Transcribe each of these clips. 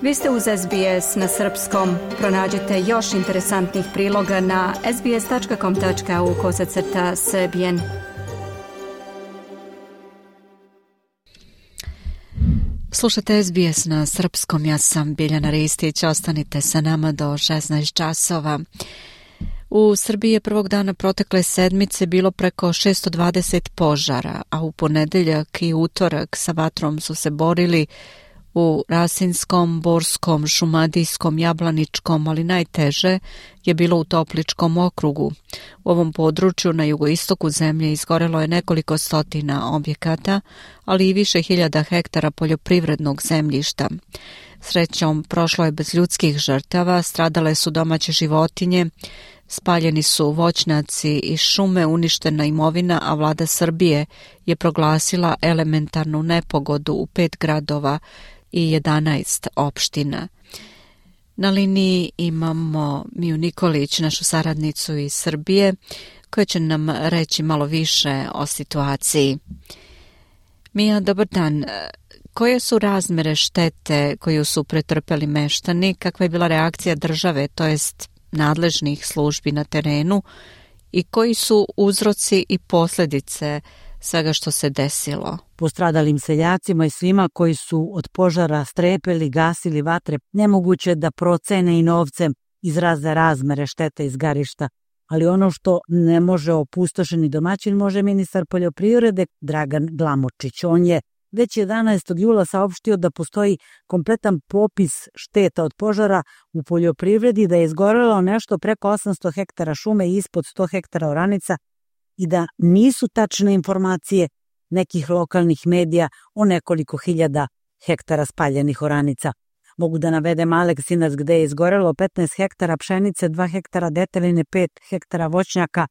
Vi ste uz SBS na srpskom. Pronađite još interesantnih priloga na sbs.com.au/srbijen. Slušate SBS na srpskom, ja sam Biljana Ristić, ostanite sa nama do 16 časova. U Srbiji je prvog dana protekle sedmice bilo preko 620 požara, a u ponedeljak i utorak sa vatrom su se borili u Rasinskom, Borskom, Šumadijskom, Jablaničkom, ali najteže je bilo u Topličkom okrugu. U ovom području na jugoistoku zemlje izgorelo je nekoliko stotina objekata, ali i više hiljada hektara poljoprivrednog zemljišta. Srećom, prošlo je bez ljudskih žrtava, stradale su domaće životinje, spaljeni su voćnjaci i šume, uništena imovina, a vlada Srbije je proglasila elementarnu nepogodu u 5 gradova i 11 opština. Na liniji imamo Miju Nikolić, našu saradnicu iz Srbije, koja će nam reći malo više o situaciji. Mija, dobar dan. Koje su razmere štete koju su pretrpeli meštani? Kakva je bila reakcija države, to jest nadležnih službi na terenu, i koji su uzroci i posljedice svega što se desilo? Postradalim seljacima i svima koji su od požara strepeli, gasili vatre, nemoguće da procene i novcem izraze razmere štete izgarišta. Ali ono što ne može opustošeni domaćin, može ministar poljoprivrede Dragan Glamočić. On je već 11. jula saopštio da postoji kompletan popis šteta od požara u poljoprivredi, da je izgorelo nešto preko 800 hektara šume i ispod 100 hektara oranica i da nisu tačne informacije nekih lokalnih medija o nekoliko hiljada hektara spaljenih oranica. Mogu da navedem Aleksinac gde je izgorelo 15 hektara pšenice, 2 hektara deteline, 5 hektara voćnjaka,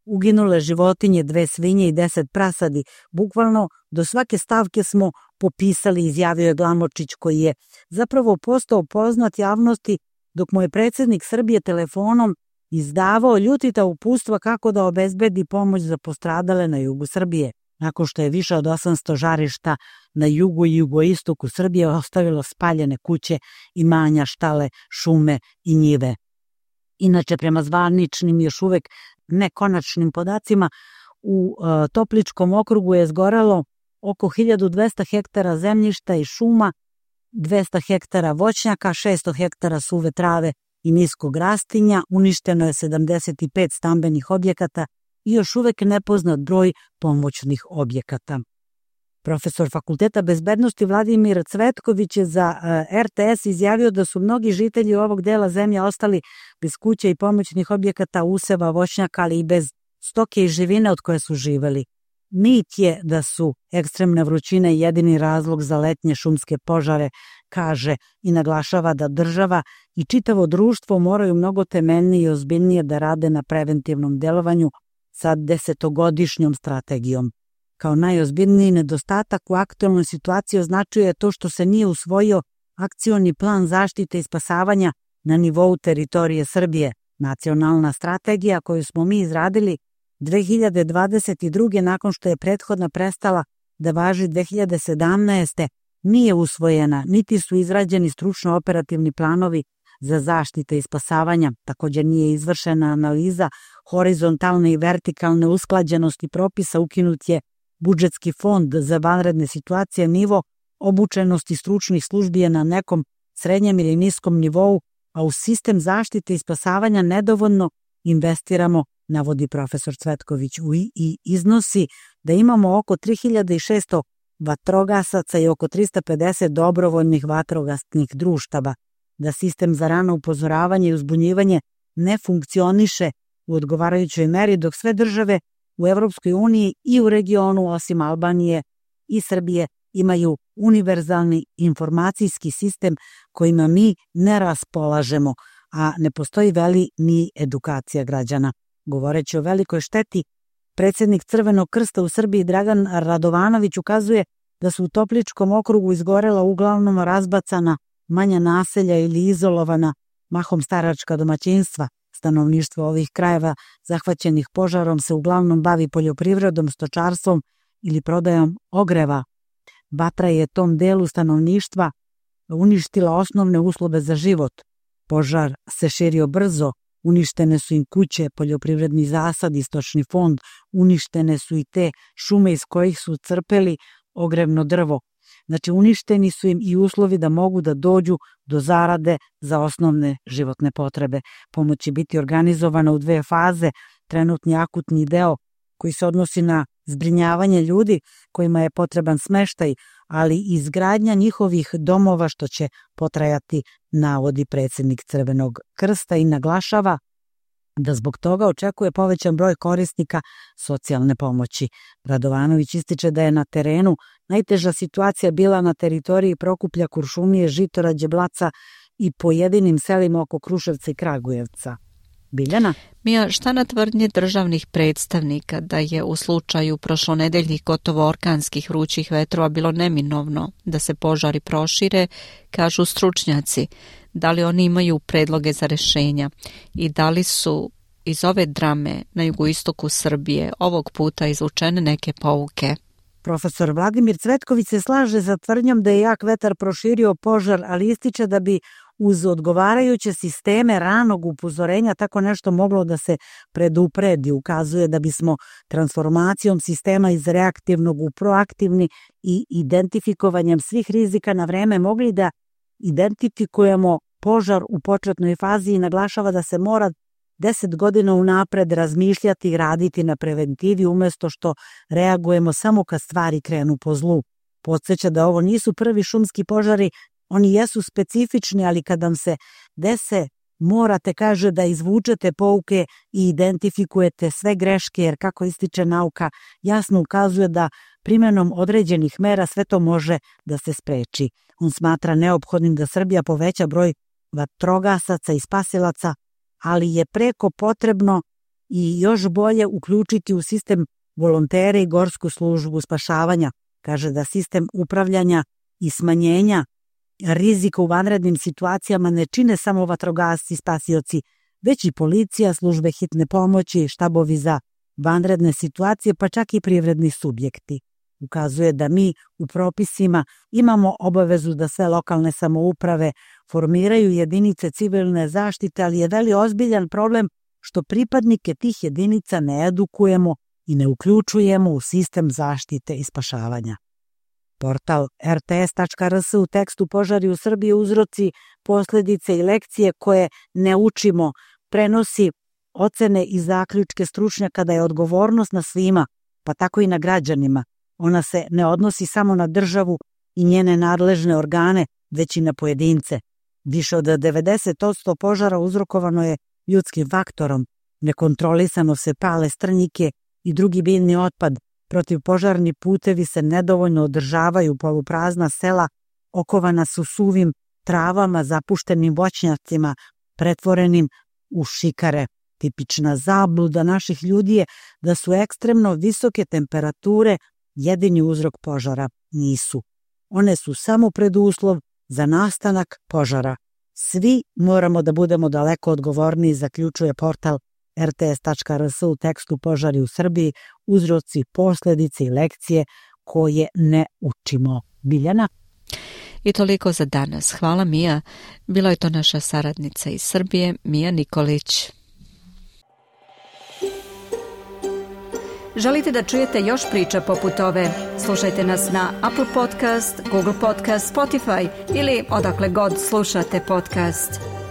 uginule životinje, 2 svinje i 10 prasadi. Bukvalno do svake stavke smo popisali, izjavio je Glamočić, koji je zapravo postao poznat javnosti dok mu je predsjednik Srbije telefonom izdavao ljutita uputstva kako da obezbedi pomoć za postradale na jugu Srbije. Nakon što je više od 800 žarišta na jugu i jugoistoku Srbije ostavilo spaljene kuće, imanja, štale, šume i njive. Inače, prema zvaničnim još uvek nekonačnim podacima, u Topličkom okrugu je izgorelo oko 1200 hektara zemljišta i šuma, 200 hektara voćnjaka, 600 hektara suve trave i niskog rastinja, uništeno je 75 stambenih objekata i još uvek nepoznat broj pomoćnih objekata. Profesor Fakulteta bezbednosti Vladimir Cvetković je za RTS izjavio da su mnogi žitelji ovog dela zemlje ostali bez kuće i pomoćnih objekata, useva, voćnjaka, ali i bez stoke i živine od koje su živeli. Mit je da su ekstremne vrućine jedini razlog za letnje šumske požare, kaže i naglašava da država i čitavo društvo moraju mnogo temeljnije i ozbiljnije da rade na preventivnom delovanju sa 10-godišnjom strategijom. Kao najozbiljniji nedostatak u aktualnoj situaciji označuje to što se nije usvojio akcioni plan zaštite i spasavanja na nivou teritorije Srbije. Nacionalna strategija koju smo mi izradili 2022. nakon što je prethodna prestala da važi 2017. nije usvojena, niti su izrađeni stručno operativni planovi za zaštite i spasavanja. Također nije izvršena analiza horizontalne i vertikalne usklađenosti propisa, ukinut je budžetski fond za vanredne situacije, nivo obučenosti stručnih službi je na nekom srednjem ili niskom nivou, a u sistem zaštite i spasavanja nedovoljno investiramo, navodi profesor Cvetković, i iznosi da imamo oko 3600 vatrogasaca i oko 350 dobrovoljnih vatrogasnih društava, da sistem za rano upozoravanje i uzbunjivanje ne funkcioniše u odgovarajućoj meri, dok sve države u Evropskoj uniji i u regionu, osim Albanije i Srbije, imaju univerzalni informacijski sistem kojima mi ne raspolažemo, a ne postoji ni edukacija građana. Govoreći o velikoj šteti, predsjednik Crvenog krsta u Srbiji Dragan Radovanović ukazuje da su u Topličkom okrugu izgorela uglavnom razbacana manja naselja ili izolovana, mahom staračka domaćinstva. Stanovništvo ovih krajeva zahvaćenih požarom se uglavnom bavi poljoprivredom, stočarstvom ili prodajom ogreva. Vatra je tom delu stanovništva uništila osnovne uslove za život. Požar se širio brzo, uništene su im kuće, poljoprivredni zasadi, stočni fond, uništene su i te šume iz kojih su crpeli ogrevno drvo. Znači, uništeni su im i uslovi da mogu da dođu do zarade za osnovne životne potrebe. Pomoć će biti organizovana u 2 faze. Trenutni akutni deo koji se odnosi na zbrinjavanje ljudi kojima je potreban smeštaj, ali i izgradnja njihovih domova, što će potrajati, navodi predsjednik Crvenog krsta i naglašava da zbog toga očekuje povećan broj korisnika socijalne pomoći. Radovanović ističe da je na terenu najteža situacija bila na teritoriji Prokuplja, Kuršumlije, Žitorađe, Blaca i pojedinim selima oko Kruševca i Kragujevca. Biljana? Mija, šta na tvrdnje državnih predstavnika da je u slučaju prošlonedeljnih gotovo orkanskih vrućih vetrova bilo neminovno da se požari prošire, kažu stručnjaci? Da li oni imaju predloge za rešenja i da li su iz ove drame na jugoistoku Srbije ovog puta izvučene neke pouke? Profesor Vladimir Cvetković se slaže za tvrdnjom da je jak vetar proširio požar, ali ističe da bi uz odgovarajuće sisteme ranog upozorenja tako nešto moglo da se predupredi. Ukazuje da bismo transformacijom sistema iz reaktivnog u proaktivni i identifikovanjem svih rizika na vreme mogli da identifikujemo požar u početnoj fazi i naglašava da se mora 10 godina unapred razmišljati i raditi na preventivi umjesto što reagujemo samo kad stvari krenu po zlu. Podsjeća da ovo nisu prvi šumski požari, oni jesu specifični, ali kad vam se dese, morate, kaže, da izvučete pouke i identifikujete sve greške, jer kako ističe nauka, jasno ukazuje da primjenom određenih mera sve to može da se spreči. On smatra neophodnim da Srbija poveća broj vatrogasaca i spasilaca, ali je preko potrebno i još bolje uključiti u sistem volontere i gorsku službu spašavanja. Kaže da sistem upravljanja i smanjenja rizika u vanrednim situacijama ne čine samo vatrogasci i spasioci, već i policija, službe hitne pomoći, štabovi za vanredne situacije, pa čak i privredni subjekti. Ukazuje da mi u propisima imamo obavezu da sve lokalne samouprave formiraju jedinice civilne zaštite, ali je veli ozbiljan problem što pripadnike tih jedinica ne edukujemo i ne uključujemo u sistem zaštite i spašavanja. Portal rts.rs u tekstu Požari u Srbiji, uzroci, posljedice i lekcije koje ne učimo prenosi ocene i zaključke stručnjaka da je odgovornost na svima, pa tako i na građanima. Ona se ne odnosi samo na državu i njene nadležne organe, već i na pojedince. Više od 90% požara uzrokovano je ljudskim faktorom. Nekontrolisano se pale strnjike i drugi biljni otpad. Protivpožarni putevi se nedovoljno održavaju, poluprazna sela okovana su suvim travama, zapuštenim voćnjacima, pretvorenim u šikare. Tipična zabluda naših ljudi je da su ekstremno visoke temperature jedini uzrok požara. Nisu. One su samo preduslov za nastanak požara. Svi moramo da budemo daleko odgovorniji, zaključuje portal rts.rs u tekstu Požari u Srbiji, uzroci, posljedice i lekcije koje ne učimo. Biljana? I toliko za danas. Hvala, Mija. Bila je to naša saradnica iz Srbije, Mija Nikolić. Želite da čujete još priča poput ove? Slušajte nas na Apple Podcast, Google Podcast, Spotify ili odakle god slušate podcast.